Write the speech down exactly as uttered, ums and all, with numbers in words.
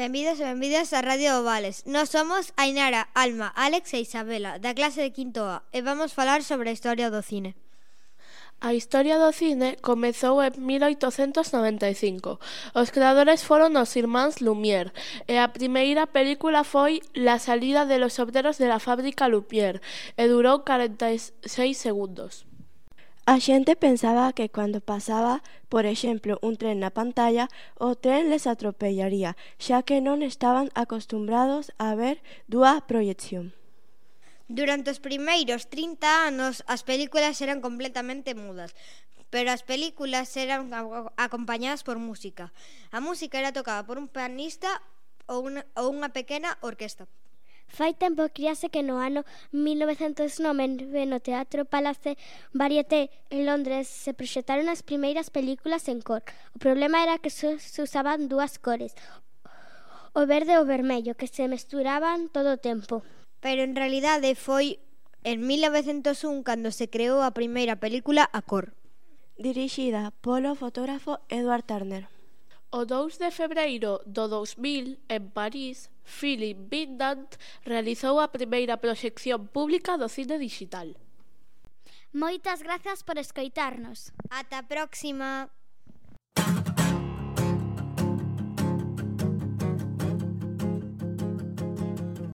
Benvidos e benvidas a Radio Ovales. Nós somos Ainara, Alma, Alex e Isabela, da clase de quinto A, e vamos falar sobre a historia do cine. A historia do cine comezou en mil oitocentos noventa e cinco. Os creadores foron os irmáns Lumière, e a primeira película foi La salida de los obreros de la fábrica Lumière, e durou corenta e seis segundos. A xente pensaba que cando pasaba, por exemplo, un tren na pantalla, o tren les atropellaría, xa que non estaban acostumbrados a ver dúa proyección. Durante os primeiros trinta anos, as películas eran completamente mudas, pero as películas eran acompañadas por música. A música era tocada por un pianista ou unha, ou unha pequena orquesta. Fai tempo críase que no ano mil novecentos nove no Teatro Palace Varieté en Londres se proxectaron as primeiras películas en cor. O problema era que só se usaban dúas cores, o verde e o vermello, que se mesturaban todo o tempo. Pero en realidade foi en mil novecentos un cando se creou a primeira película a cor. Dirixida polo fotógrafo Edward Turner. O dous de febreiro do dous mil, en París, Philip Vinland realizou a primeira proxección pública do cine digital. Moitas grazas por escoitarnos. Ata a próxima!